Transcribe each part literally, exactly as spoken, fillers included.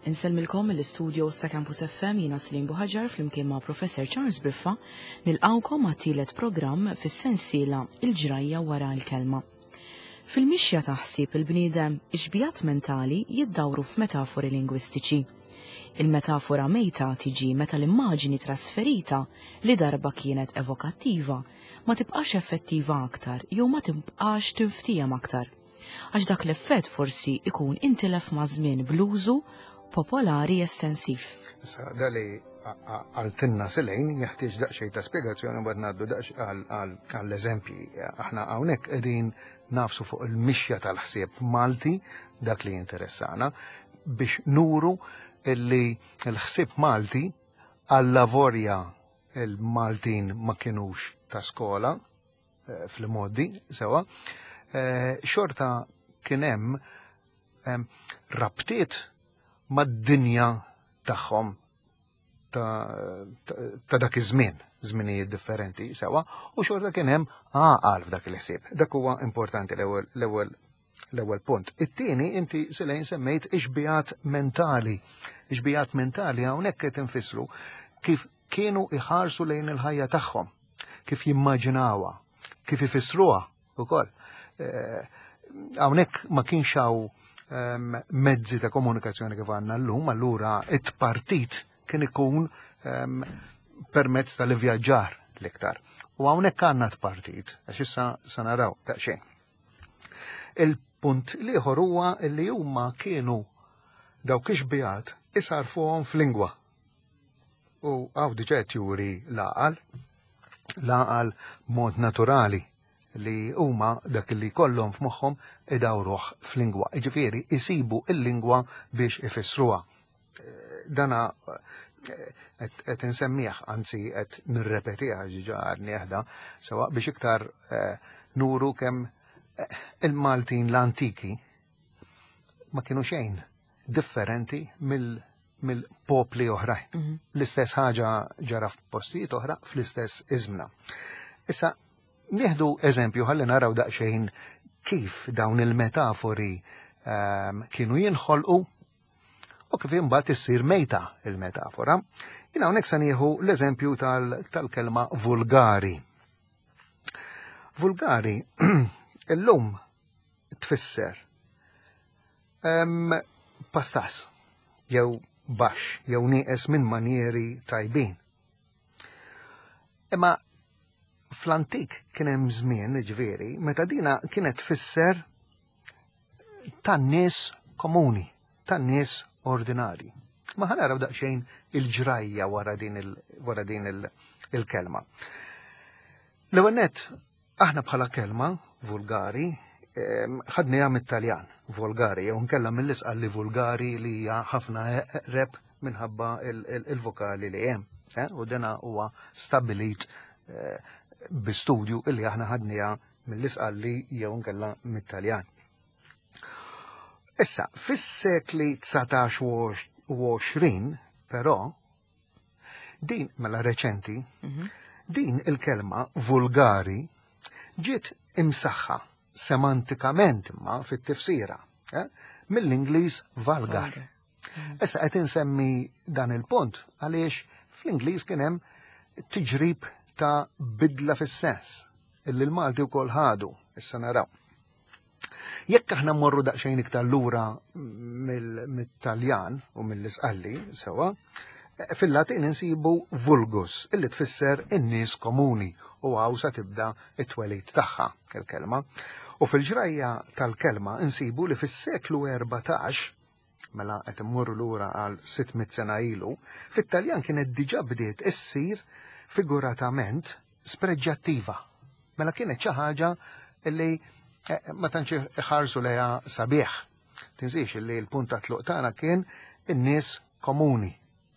Insellmilkom mill-istudio sa' Campus F M, jiena Celine Buhagiar flimkien ma' Professor Charles Briffa nilqawkom għat-tielet programm fis-sensiela Il-ġrajja wara l-kelma. Fil-mixja ta' ħsieb il-bniedem, ix-xbihat mentali jiddawru f'metafori lingwistiċi. Il-metafora mejta tiġi meta l-immaġini trasferita li darba kienet evokattiva ma tibqax effettiva aktar jew ma tibqax tinftiem aktar, għax dak l-effett forsi ikun intilef ma' żmien bl-użu popolari estensiv. Issa, dali għaltinna Celine jeħtieġ daqsxejn ta' spjegazzjoni, mbagħad ngħaddu għall-eżempji. Aħna hawnhekk qegħdin nagħfsu fuq il-mixja tal-ħsieb Malti, dak li jinteressana, biex nuru illi l-ħsieb Malti, għallavolja il-Maltin ma kienux ta' skola eh, fl-modi, sewa, eh, xorta kien hemm rabtiet mad-dinja tagħhom ta' dak iż-żmien, żminijiet differenti, sewa, u xorta kien hemm għaqal f'dak il-ħsieb. Dak huwa importanti, l-ewwel l-ewwel l-ewwel punt. It-tieni, inti, Celine, semmejt ix-xbihat mentali. Ix-xbihat mentali hawnhekk qed infissru kif kienu iħarsu lejn il-ħajja tagħhom, kif jimmaġinawha, kif ifissruha ukoll. Eh, hawnhekk ma kienx hawn ehm, mezzi ta' komunikazzjoni kif għandna llum, allura it-partit kien ikun ehm, permezz tal-ivvjaġġar l-iktar. U hawnhekk għandna t-partit, għax issa sa naraw daqsxejn. Il-punt l-ieħor huwa li huma kienu dawk ix-xbihat isarfuhom f'lingwa. U hawn diġà qed juri l-għaqal, l-għaqal mod naturali li huma dak li kollhom f'moħħhom idawruh f'lingwa. Jiġifieri isibu il-lingwa biex ifissruha. Dana eh, qed insemmih, anzi qed nirrepetiha ġiġa nieħda, sewa, biex iktar eh, nuru kemm eh, il-Maltin l-antiki ma kienu xejn differenti mill-popli oħrajn. Mhm. L-istess ħaġa ġara f'postijiet oħra fl-istess iżmna. Issa, nieħdu eżempju ħalli naraw daqsxejn kif dawn il-metafori um, kienu jinħolqu u kif imbagħad issir mejta il-metafora. Jien hawnhekk se nieħu l-eżempju tal-kelma vulgari. Vulgari illum tfisser um, pastas jew baxx jew nieqes minn manieri tajbin. Imma fl-antik kien hemm żmien, ġifieri, meta dina kienet tfisser tan-nies komuni, tan-nies ordinari. Ma ħa naraw daqsxejn il-ġrajja wara din wara din il-kelma. L-ewwel nett, aħna bħala kelma vulgari ħadniha mit-Taljan, volgari, jew nkella mill-Isqalli vulgari li hija ħafna eqreb minħabba il-vokali li hemm. Eh? U dena huwa stabilit eh, bi studju illi aħna ħadniha mill-Isqalli jew nkella mit-Taljan. Issa, fis-sekli dsatax u għoxrin, però, din mela reċenti, mhm. din il-kelma vulgari ġiet imsaħħa semantikament imma fit-tifsira eh, mill-Ingliż vulgar. Mhm. Issa qed insemmi dan il-punt għaliex fl-Ingliż kien hemm tiġrib ta' bidla fis-sens illi l-Malti wkoll ħadu, issa naraw. Jekk aħna mmorru daqsxejn iktar lura mill-Taljan u mill-Isqalli, sewa, fil-Latin insibu vulgus, illi tfisser in-nies komuni, u hawn sa tibda it-twelid tagħha il-kelma. U fil-ġrajja tal-kelma insibu li fis-seklu erbatax, mela qed immorru lura għal sitt mitt sena ilu, fit-Taljan kienet diġà bdiet issir figuratament spreġġattiva. Mela kienet xi ħaġa illi eh, ma tantx iħarsu lejha sabiħ. Tinsiex illi l-punt ta' tluq tagħna kien in-nies komuni,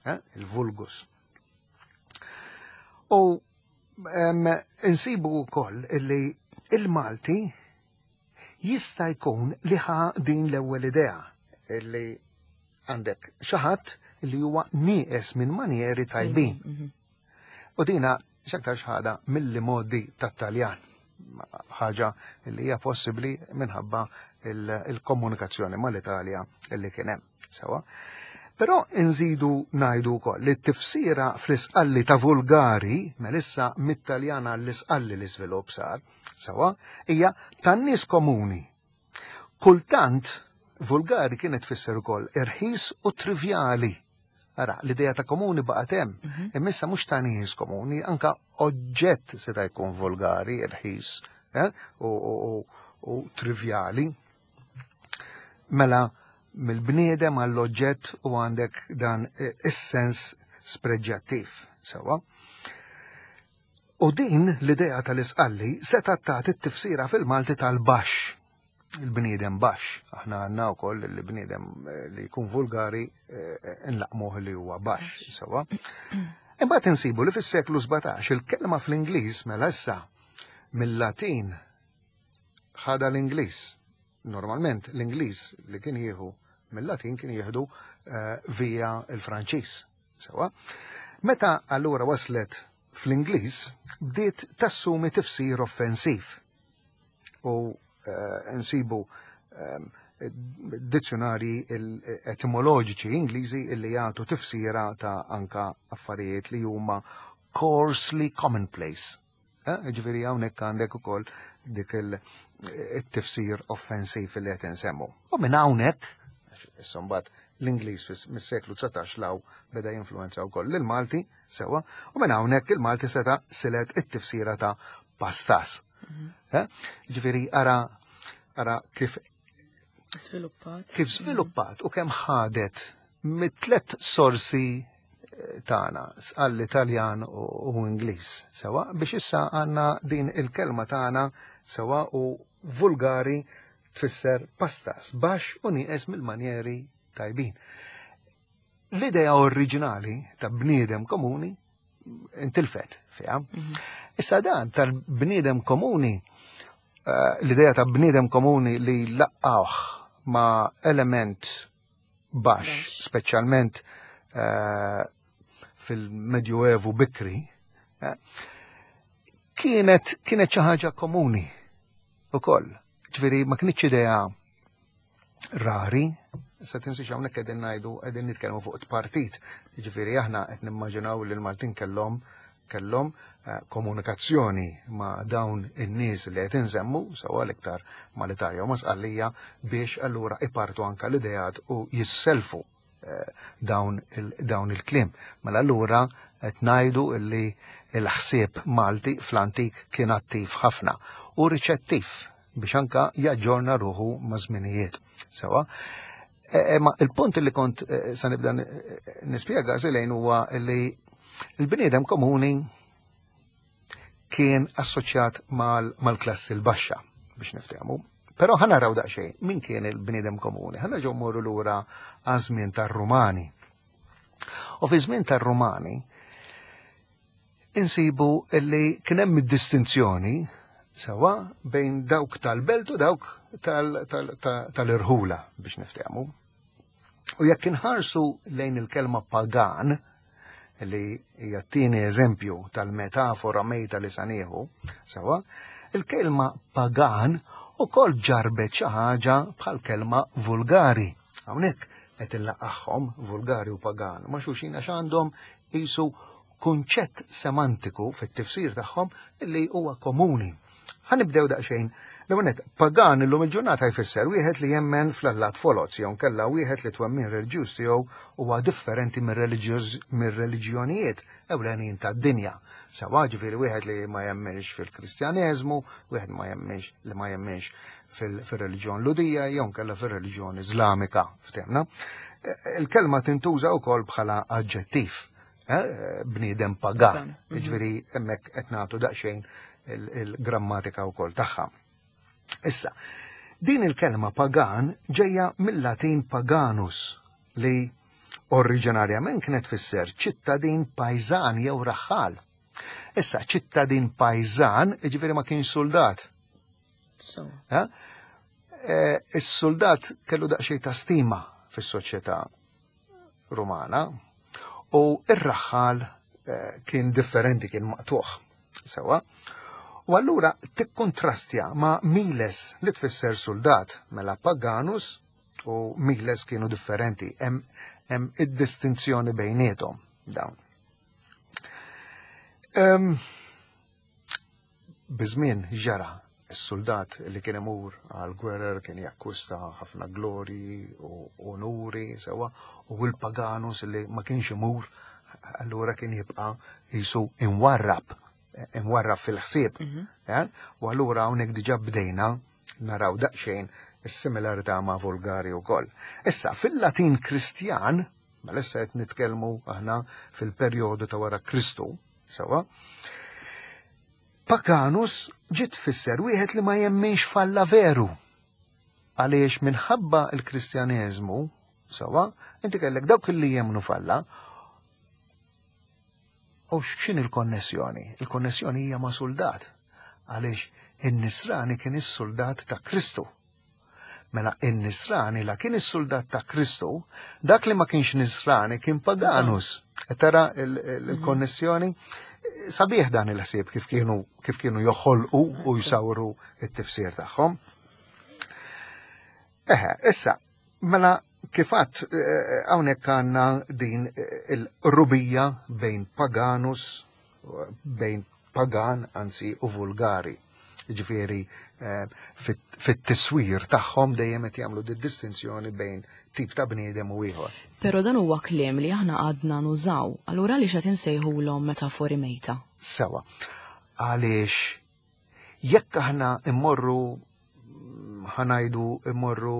eh, il-vulgus. U insibu wkoll illi il-Malti jista' jkun li ħa din l-ewwel idea illi għandek xi ħadd li huwa nieqes minn manieri tajbin. Mhm. U dina x'aktar ħadha mill-modi tat-Taljan. Ħaġa li hija possibbli minħabba il-komunikazzjoni mal-Italja illi kien hemm. Sewa. Però nżidu ngħidu wkoll li t-tifsira fl-Isqalli ta' vulgari, melissa mit-Taljana l-Isqalli l-iżvilupp sar, sewa, hija tan-nies komuni. Kultant vulgari kienet tfisser ukoll irħis u trivjali. Ara, l-idea ta' komuni baqgħet hemm, mhm. imma issa mhux ta' nies komuni, anka oġġett seta' jkun vulgari, irħis, eh? u, u, u, u trivjali. Mela, mill-bniedem għall-oġġett u għandek dan is-sens spreġġattiv, sewa. U din l-idea tal-Isqalli seta' tagħti t-tifsira fil-Malti tal-baxx, il-bniedem baxx. Aħna għandna wkoll il-bniedem li jkun vulgari nlaqmuh li huwa baxx, sewa. Imbagħad insibu li fis-seklu sbatax il-kelma fl-Ingliż mela issa mill-Latin ħada l-Ingliż. Normalment l-Ingliż li kien jieħu mill-Latin kien jieħdu via il-Franċiż. Sewa. Meta allura waslet fl-Ingliż bdiet tassumi tifsir offensiv. U nsibu dizzjonari etimoloġiċi Ingliżi illi jagħtu tifsira ta' anka affarijiet li huma coarsely commonplace. Ġifieri hawnhekk għandek ukoll dik il-tifsir offensiv li qed insemmu. U minn hawnhekk, issa mbagħad l-Ingliż mis-seklu dsatax law beda jinfluwenza wkoll lill-Malti, sewa, u minn hawnhekk il-Malti seta' silet it-tifsira ta' pastas. Ġifieri ara ara kif sviluppat. Kif sviluppat u kemm ħadet mit-tlet sorsi tagħna, għall-Italjan u Ingliż, sewa, biex issa għandna din il-kelma tagħna sewa u vulgari tfisser pastas, baxx u nieqes mill-manjeri tajbin. L-idea oriġinali ta' bniedem komuni intilfet fiha. Issa dan tal-bniedem komuni, l-idea ta' bniedem komuni li laqqawh ma' element baxx, speċjalment fil-Medjuevu bikri, kienet kienet xi ħaġa komuni ukoll. Ġifieri ma kienx idea rari, issa tinsiex hawnhekk qegħdin ngħidu qegħdin nitkellmu fuq partit. Ġifieri aħna qed nimmaġinaw li l-Maltin kellhom kellhom komunikazzjoni ma' dawn in-nies li qed insemmu, sewa l-iktar mal-Italja u ma' Sqallija, biex allura ipartu anka l-ideat u jisselfu dawn dawn il-kliem. Mela allura qed ngħidu li l-ħsieb Malti fl-antik kien attiv ħafna u riċettiv biex anka jaġġorna ruħu ma' żminijiet. Sewa. Ma il-punt li kont sa nibda nispjega Zelejn huwa li l-bniedem komuni kien assoċjat mal-klassi l-baxxa biex niftehmu. Però ħa naraw daqsxejn min kien il-bniedem komuni. Ħa nerġgħu mmorru lura għaż-żmien tar-Rumani. U fi żmien tar-Rumani insibu li kien hemm id-distinzjoni sewa bejn dawk tal-belt u dawk tal-irħula biex niftehmu. U jekk inħarsu lejn il-kelma pagan, li hija t-tieni eżempju tal-metafora mejta li sanieħu, sewa, il-kelma pagan ukoll ġarbet xi ħaġa bħal kelma vulgari. Hawnhekk qed illaqgħhom vulgari u pagan ma' xulxin għax għandhom qisu kunċett semantiku fit-tifsir tagħhom li huwa komuni. Ħa nibdew daqsxejn. L-ewwel pagan illum il-ġurnata jfisser wieħed li jemmen fl-allat foloz jew kellha wieħed li twemmin reliġjuż tiegħu huwa differenti mir-reliġjonijiet ewlenin tad-dinja. Sewa ġifieri wieħed li ma jemmenx fil-Kristjaneżmu, wieħed ma jemmenx li ma jemmenx fil-reliġjon Ludija jew kellha fir-reliġjon Iżlamika, ftehmna. Il-kelma tintuża wkoll bħala aġġettiv, bniedem pagan. Ġifieri hemmhekk qed nagħtu daqsxejn il-grammatika wkoll tagħha. Issa, din il-kelma pagan ġejja mill-Latin paganus li oriġinarjament kienet tfisser ċittadin pajżan jew raħħal. Issa, ċittadin pajżan, ġifieri ma kienx soldat. Is-soldat kellu daqsxejn ta' stima fis-soċjetà Rumana u ir-raħħal kien differenti, kien maqtuħ. Sewa. U allura tikkontrastja ma' miles li tfisser soldat, mela paganus u miles kienu differenti. Hemm Hemm id-distinzjoni bejniethom dawn. Um, Biż-żmien ġara s-soldat li kien imur għal gwerer kien jakkwista ħafna glori u onuri sewa, u l-paganus li ma kienx imur allura kien jibqa' jisu imwarrab, imwarrab fil-ħsieb. Mm -hmm. U allura hawnhekk diġà bdejna naraw daqsxejn is-similarità ma' vulgari wkoll. Issa fil-Latin Kristjan, ma issa qed nitkellmu aħna fil-perjodu ta' wara Kristu, sewa, paganus ġiet tfisser wieħed li ma jemminx f'Alla veru. Għaliex minħabba il-Kristjaneżmu, sewa, inti kellek dawk li jemmnu f'Alla, u x'in il-konnessjoni? Il-konnessjoni hija ma' soldat. Għaliex in-nisrani kien is-soldat ta' Kristu. Mela in-nisrani la kien is-soldat ta' Kristu, dak li ma kienx nisrani kien paganus. E tara il-konnessjoni? Sabiħ dan il-ħsieb kif kienu kif kienu joħolqu u jsawru it-tifsir tagħhom. Eħe, issa, mela kifat hawnhekk għandna din il-rubija bejn paganus, bejn pagan, anzi, u vulgari. Ġifieri, fit-tiswir tagħhom dejjem qed jagħmlu di distinzjoni bejn tip ta' bniedem u ieħor. Però dan huwa kliem li aħna għadna nużaw, allura għaliex qed insejħulhom metafori mejta? Sewa. Għaliex jekk aħna immorru ħa ngħidu immorru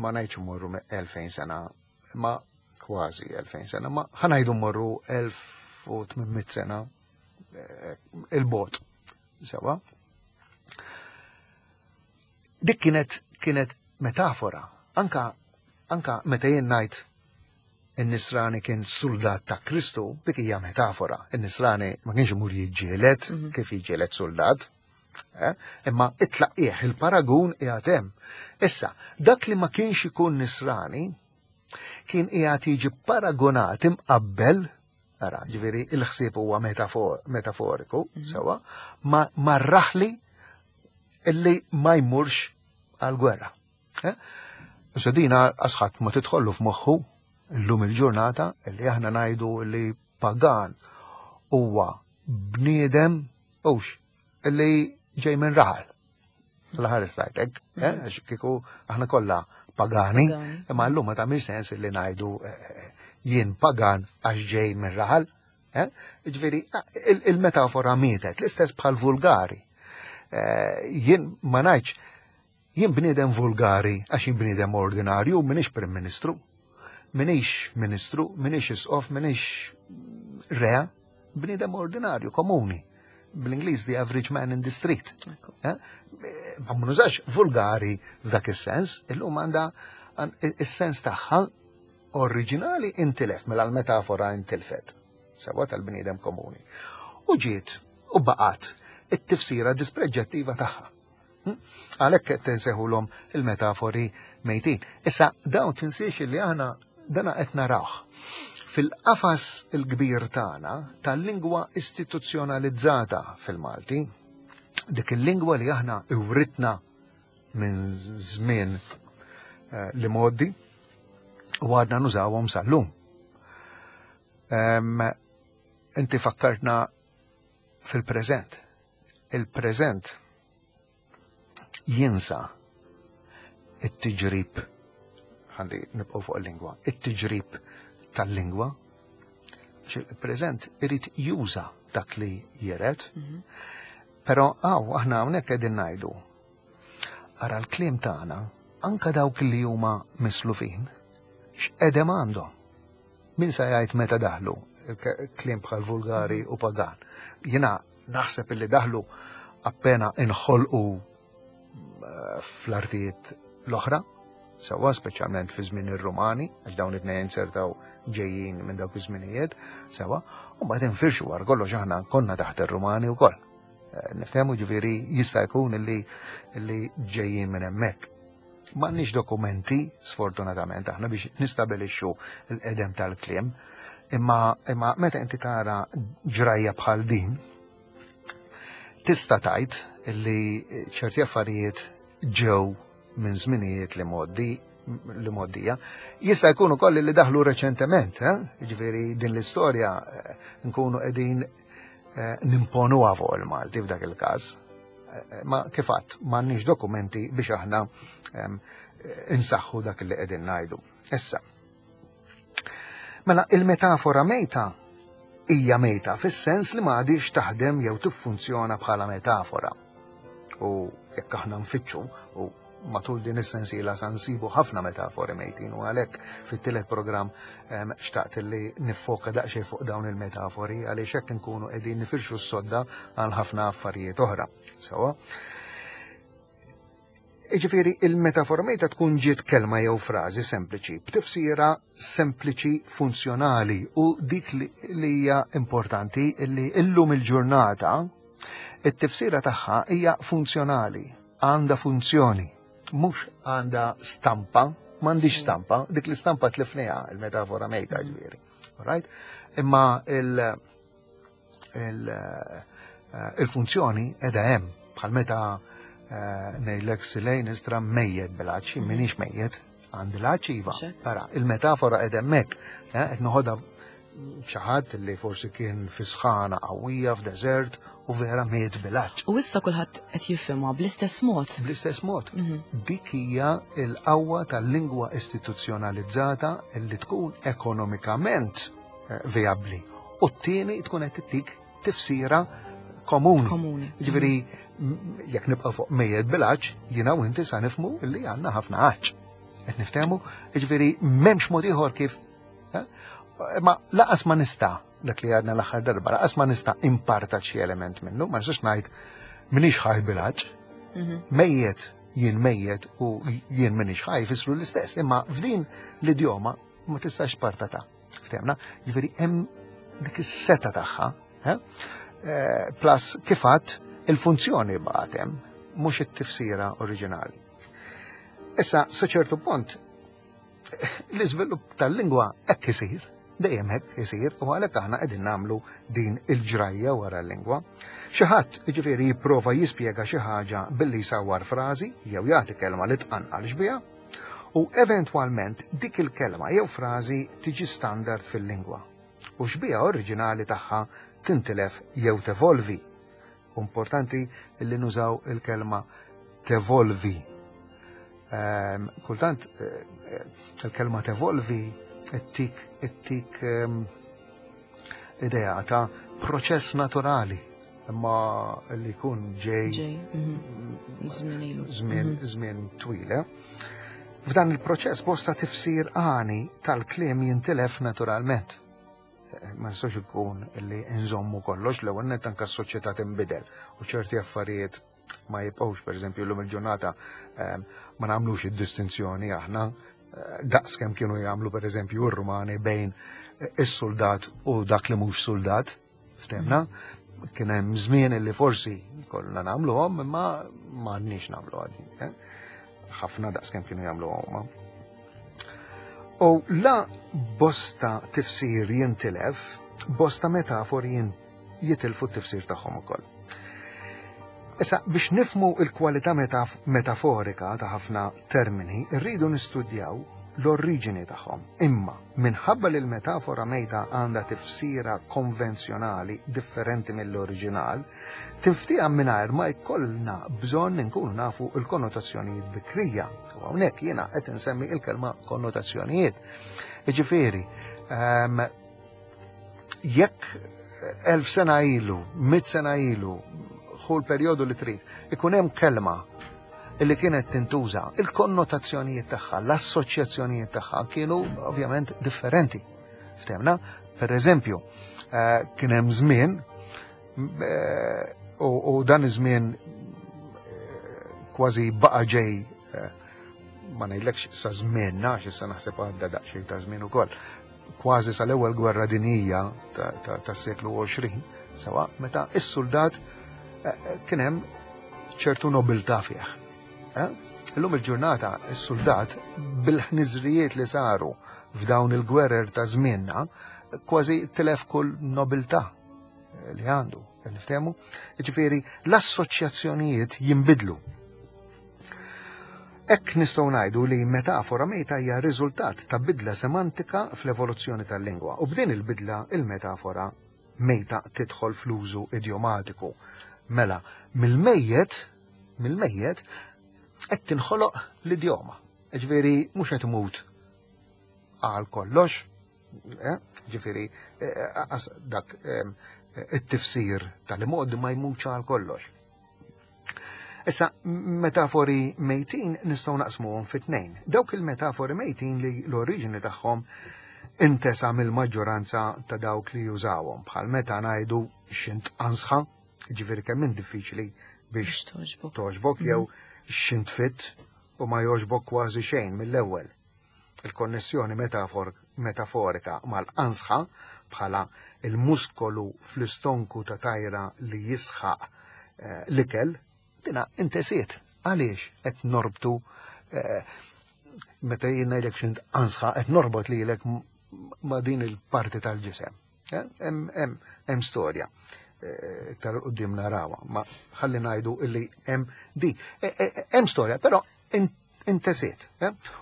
ma ngħidx immorru elfejn sena, ma kważi elfejn sena, ma ħa ngħidu mmorru elf u tmien mitt sena il-bot. Sewa. Dik kienet kienet metafora. Anka, anka meta jien ngħid in-nisrani kien soldat ta' Kristu, dik hija metafora. In-nisrani ma kienx imur jiġġieled mm -hmm. kif jiġġieled soldat, eh? Imma it-tlaqqieħ il-paragun qiegħed hemm. Issa, dak li ma kienx ikun nisrani kien qiegħed jiġi paragonat imqabbel, ara, ġifieri il-ħsieb huwa metafor, metaforiku, mm -hmm. sewa, ma, ma raħli illi ma jmurx għal-gwerra. Eh? Issa dina asħat ma tidħollu f'moħħu illum il-ġurnata illi aħna ngħidu li pagan huwa bniedem hux illi ġej minn raħal. L-aħħar istajtek, eh? Għax kieku aħna kollha pagani, imma llum ma tagħmilx sens illi ngħidu jien pagan għax ġej minn raħal. Eh? Ġifieri il-metafora mietet, l-istess bħal vulgari. Jien ma ngħidx jien bniedem vulgari għax jien bniedem ordinarju, minix Prim Ministru, minix Ministru, minix Isqof, minix Re, bniedem ordinarju, komuni. Bl-Ingliż the average man in the street. Eh? Ma nużax vulgari f'dak is-sens, illum għandha is-sens tagħha oriġinali intilef, mela l-metafora intilfet, sewa tal-bniedem komuni. U ġiet u baqgħet it-tifsira dispreġġattiva tagħha. Għalhekk qed tinseħulhom il-metafori mejtin. Issa dawn tinsiex li aħna dana qed narawh fil-qafas il-kbir tagħna tal-lingwa istituzzjonalizzata fil-Malti, dik il-lingwa li aħna iwritna minn żmien eh, li modi u għadna nużawhom sal-lum. Um, inti fakkartna fil-preżent. Il-preżent jinsa it-tiġrib, ħalli nibqgħu fuq il-lingwa, it-tiġrib tal-lingwa, għax il-preżent irid juża dak li jiret, mm -hmm. Però għaw, aħna hawnhekk qegħdin ngħidu. Ara l-kliem tagħna, anka dawk li huma mislufin, x'qedem għandhom. Min sa jgħid meta daħlu kliem bħal vulgari u pagan. Jiena naħseb illi daħlu appena inħolqu fl-artijiet l-oħra, sewa speċjalment fi żmien ir-Rumani, għax dawn it-tnejn sertaw ġejjin minn dawk iż-żminijiet, sewa, u mbagħad infirxu wara kollox aħna konna taħt ir-Rumani wkoll. Nifhemu ġifieri jista' jkun illi illi ġejjin minn hemmhekk. M'għandniex dokumenti, sfortunatament, aħna biex nistabilixxu l-qedem tal-kliem, imma imma meta inti tara ġrajja bħal din, tista' tgħid illi ċerti affarijiet ġew minn żminijiet li modi li moddija. Jista' jkun ukoll li daħlu reċentement, eh? Jiġifieri din l-istorja nkunu qegħdin nimponuha fuq il-Malti f'dak il-każ. Ma kif għadt m'għandniex dokumenti biex aħna insaħħu dak li qegħdin ngħidu. Issa. Mela il-metafora mejta hija mejta fis-sens li ma għadix taħdem jew tiffunzjona bħala metafora. U jekk aħna nfittxu u matul din is-sensiela sa nsibu ħafna metafori mejtin u għalhekk fit-tielet programm xtaqt li niffoka daqsxejn fuq dawn il-metafori għaliex hekk nkunu qegħdin nifirxu s-sodda għal ħafna affarijiet oħra. Sewa. Jiġifieri il-metafora mejta tkun ġiet kelma jew frażi sempliċi, b'tifsira sempliċi funzjonali u dik li hija importanti li illum il-ġurnata it-tifsira tagħha hija funzjonali, għandha funzjoni, mhux għandha stampa, m'għandix stampa, dik l-istampa tlifniha il-metafora mejta ġifieri. Right? Imma il, il, il-funzjoni qiegħda hemm bħal meta ngħidlek silejn istra mejjet bil-għatx, minix mejjet, għandi l-għatx iva. Ara, il-metafora qiegħda hemmhekk, qed noħodha xi ħadd li forsi kien fi sħana qawwija f'deżert u vera miet bil-għatx. U issa kulħadd qed jifhimha bl-istess mod. Bl-istess mod. Dik hija l-qawwa tal-lingwa istituzzjonalizzata li tkun ekonomikament vijabbli. U t-tieni tkun qed tittik tifsira komuni. Komuni. Ġifieri jekk nibqa' fuq mejjet bil-għatx, jiena u inti sa nifhmu li għandna ħafna għatx. Qed niftehmu, jiġifieri m'hemmx mod ieħor kif. Ma laqas ma nista' dak li għadna l-aħħar darba, laqas ma nista' imparta xi element minnu, ma nistax ngħid minix ħaj bil-għatx. Mejjet jien mejjet u jien minix ħaj jfissru l-istess, imma f'din l-idjoma ma tistax partata. Ftehmna, jiġifieri hemm dik is-seta tagħha, plus kif għadt il-funzjoni baqgħet hemm, mhux it-tifsira oriġinali. Issa, sa ċertu punt, l-iżvilupp tal-lingwa hekk isir, dejjem hekk isir, u għalhekk aħna qegħdin nagħmlu din il-ġrajja wara l-lingwa. Xi ħadd jiġifieri jipprova jispjega xi ħaġa billi jsawwar frażi jew jagħti kelma li tqanqal xbieha, u eventwalment dik il-kelma jew frażi tiġi standard fil-lingwa. U xbieha oriġinali tagħha tintilef jew tevolvi. Importanti li nużaw il-kelma tevolvi. Um, kultant il-kelma tevolvi ittik ittik um, idea ta' proċess naturali imma li jkun ġej żmien żmien twil. F'dan il-proċess bosta tifsir għani tal-kliem jintilef naturalment. Ma nistax ikun li nżommu kollox, l-ewwel nett anke s-soċjetà tinbidel u ċerti affarijiet ma jibqgħux, pereżempju llum il-ġurnata ma nagħmlux id-distinzjoni aħna daqs kemm kienu jagħmlu pereżempju r-Rumani bejn is-soldat u dak li mhux soldat, ftemna, kien hemm żmien li forsi kollna nagħmluhom imma m'għandniex nagħmlu għadin. Ħafna daqs kemm kienu jagħmluhom huma. U la bosta tifsir jintilef, bosta metafori jitilfu t-tifsir tagħhom ukoll. Issa, biex nifmu il-kwalità metaforika ta' ħafna termini, rridu nistudjaw l-oriġini tagħhom. Imma, minħabba li l-metafora mejta għandha tifsira konvenzjonali differenti mill-oriġinal, tinftieha mingħajr ma jkollna bżonn inkunu nafu l-konnotazzjonijiet bikrija. U hawnhekk jiena qed insemmi il-kelma konnotazzjonijiet. Jiġifieri, jekk elf sena ilu, mitt sena ilu, hu l-perjodu li trid, ikun hemm kelma li kienet tintuża, il-konnotazzjonijiet tagħha, l-assoċjazzjonijiet tagħha kienu ovvjament differenti. Ftemna, per eżempju, kien hemm żmien u dan iż-żmien kważi baqa' ġej, ma ngħidlekx sa żmienna, għax issa naħseb għadda daqsxejn ta' żmien ukoll, kważi sal-ewwel gwerra dinjija tas-seklu għoxrin, sewa meta is-soldat kien hemm ċertu nobiltà fih. Illum il-ġurnata is-soldat bil-ħniżrijiet li saru f'dawn il-gwerer ta' żmienna kważi tilef kull nobiltà li għandu. Niftehmu? Jiġifieri l-assoċjazzjonijiet jinbidlu. Hekk nistgħu ngħidu li metafora mejta hija riżultat ta' bidla semantika fl-evoluzzjoni tal-lingwa u b'din il-bidla il-metafora mejta tidħol fl-użu idjomatiku. Mela, mill-mejjet, mill-mejjet qed tinħoloq l-idjoma. Ġifieri mhux qed imut għal kollox, eh? Ġifieri eh, dak eh, it-tifsir tal-imgħoddi ma jmutx għal kollox. Issa, metafori mejtin nistgħu naqsmuhom fi tnejn. Dawk il-metafori mejtin li l-oriġini tagħhom intesa mill-maġġoranza ta' dawk li jużawhom, bħal meta ngħidu xint ansħa, ġifieri kemm minn diffiċli biex toġbok, jew xint fit u ma jogħġbok kważi xejn mill-ewwel. Il-konnessjoni metaforika mal-ansħa bħala il-muskolu fl-istonku ta' tajra li jisħaq l-ikel, dina intesiet. Għaliex qed norbtu meta jien ngħidlek xint ansħa qed norbot lilek ma' din il-parti tal-ġisem. Hemm storja. Iktar quddiem narawha, ma ħalli ngħidu illi hemm di. Hemm storja, però intesiet.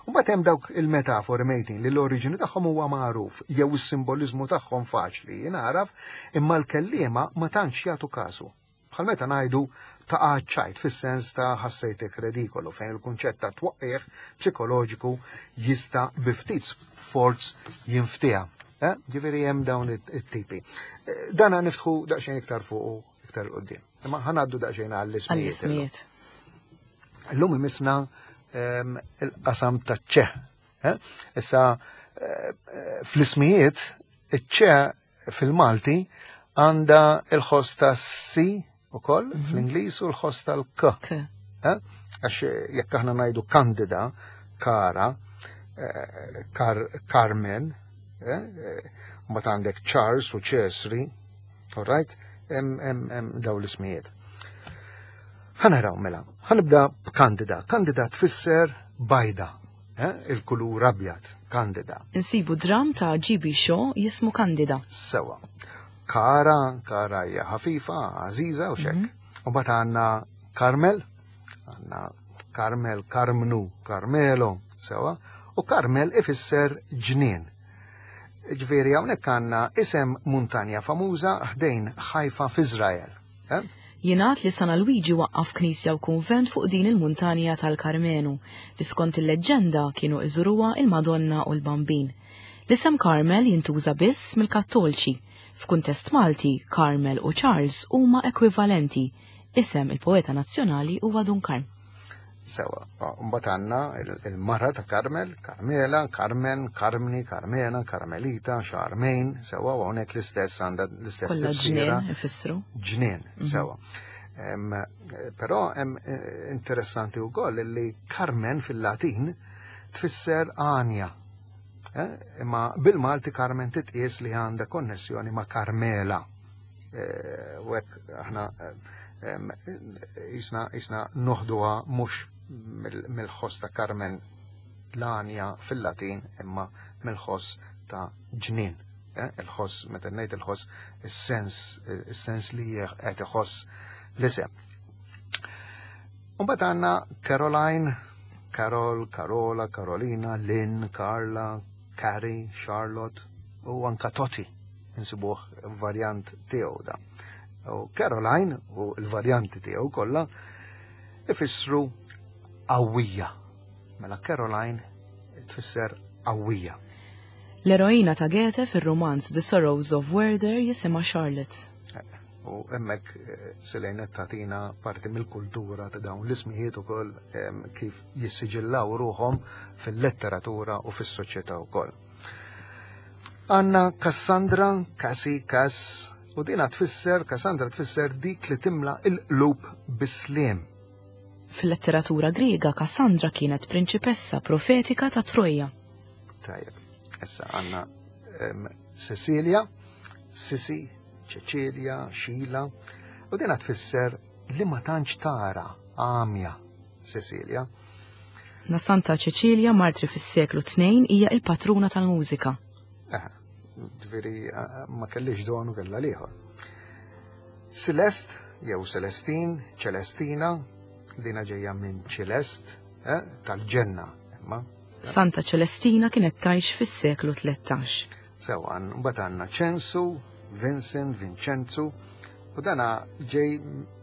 U mbagħad hemm dawk il-metafori mejtin li l-oriġini tagħhom huwa magħruf jew is-simboliżmu tagħhom faċli jingħaraf, imma l-kelliema ma tantx jagħtu kasu. Bħal meta ngħidu ta' ċajt fis-sens ta' ħassejtek redikolu, fejn il-kunċett ta' twaqqih psikoloġiku jista' bi ftit sforz jinftieha. Ġifieri hemm dawn it-tipi. Dana niftħu daqsxejn iktar fuq iktar quddiem. Imma ħanaddu daqsxejn għall-ismijiet. Illum imisna il-qasam taċ-ċe. Issa fl-ismijiet iċ-ċe fil-Malti għandha il-ħoss ta' si ukoll fl-Ingliż u l-ħoss tal-k. Għax jekk aħna ngħidu Kandida, Kara, Carmen, mbagħad għandek Charles u Ċesri, all right, hemm dawn l-ismijiet. Ħa naraw mela, ħanibda b'Kandida. Kandida tfisser bajda, il-kulur abjad, Kandida. Insibu dram ta' G B Shaw jismu Kandida. Sewa. Kara, Kara hija ħafifa, għażiża u xek. U mbagħad għandna Carmel, għandna Carmel, Carmnu, Carmelo, sewa, u Carmel ifisser ġnien. Ġifieri hawnhekk għandna isem muntanja famuża ħdejn Ħajfa f'Iżrael. Jingħad li San Alwiġi waqqaf knisja u kunvent fuq din il-muntanja tal-Karmenu, li skont il-leġġenda kienu iżuruha il-Madonna u l-Bambin. L-isem Carmel jintuża biss mill-Kattolċi. F'kuntest Malti, Carmel u Charles huma ekwivalenti. Isem il-poeta nazzjonali huwa Dun Karm. Sewa, mbagħad għandna il-mara ta' Carmel, Carmela, Carmen, Carmni, Carmena, Carmelita, Charmaine, sewa, u hawnhekk l-istess għandha l-istess Kollha ġnien ifissru. Ġnien, sewa. Però hemm interessanti wkoll li Carmen fil-Latin tfisser għanja. Imma bil-Malti Carmen titqies li għandha konnessjoni ma' Carmela. U hekk aħna jisna jisna noħduha mhux mill-ħoss ta' Carmen l-għanja fil-Latin, imma mill-ħoss ta' ġnien. Il-ħoss, meta ngħid il-ħoss, is-sens, is-sens li qed iħoss l-isem. Mbagħad għandna Caroline, Carol, Carola, Carolina, Lynn, Carla, Carrie, Charlotte u anka Totti, insibuh varjant tiegħu da. U Caroline u l-varjanti tiegħu kollha ifissru qawwija. Mela Caroline tfisser qawwija. L-eroina ta' Goethe fir-romanz The Sorrows of Werther jisimha Charlotte. U hemmhekk Selene tagħtina parti mill-kultura ta' dawn l-ismijiet ukoll kif jissiġillaw ruħhom fil-letteratura u fis-soċjetà wkoll. Għandna Cassandra, Cassie, Cass, u dina tfisser, Cassandra tfisser dik li timla il-qlub bis-sliem. Fil-letteratura Griega, Cassandra kienet prinċipessa profetika ta' Troja. Tajjeb, issa għandna Cecilia, Sisi, Cecilia, Sheila, u dina tfisser li ma tantx tara, għamja, Cecilia. Na Santa Cecilia, martri fis-seklu tnejn, hija il-patruna tal-mużika. Eh, ġifieri ma kellix donu kella liħor. Celeste, jew Celestine, Celestina, dina ġejja minn Celest, eh, tal-ġenna. Imma Santa Ċelestina kienet tgħix fis-seklu tlettax. Sewa, mbagħad għandna Ċensu, Vincent, Vincenzu, u dana ġej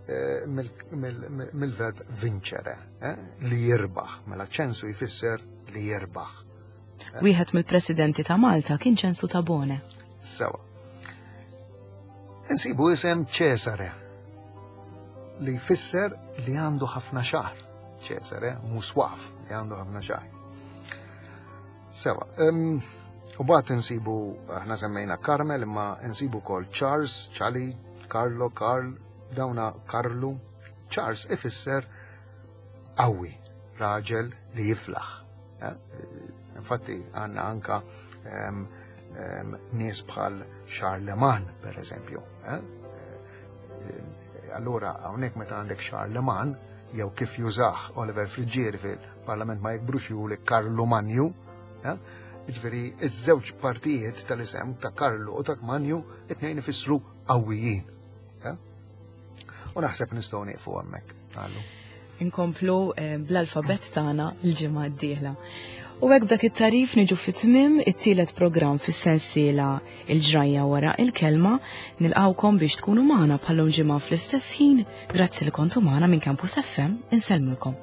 eh, mill-verb vincere, eh, li jirbaħ. Mela ċensu jfisser li jirbaħ. Wieħed mill-presidenti ta' Malta kien Ċensu Tabone. Sewa. Insibu isem Ċesare, li jfisser li għandu ħafna xagħar. Ċesare, muswaf, li għandu ħafna xagħar. Sewa, u bat insibu, aħna semmejna Carmel, imma insibu kol Charles, Charlie, Carlo, Carl, dawna Karlu. Charles ifisser qawwi, raġel li jiflaħ. Eh? Infatti għanna anka um, um, nies bħal Charlemagne, per eżempju. Eh? Allura, hawnhekk meta għandek Charlemagne, jew kif jużah Oliver Friggieri fil-Parlament ma jikbrux juli Karlu Manju, eh? Ġifieri, iż-żewġ partijiet tal-isem ta' Karlu u ta' Manju it-tnejn ifissru qawwijin. Eh? U naħseb nistgħu nieqfu hemmhekk. Għallu. Inkomplu eh, bl-alfabet tagħna l-ġimgħa d-dieħla. U hekk b'dak it-tarif niġu fit-tmiem it-tielet programm fis-sensiela Il-Ġrajja wara il-Kelma. Nilqawkom biex tkunu magħna bħallum ġimgħa fl-istess ħin. Grazzi li kontu magħna minn Campus F M, insellmilkom.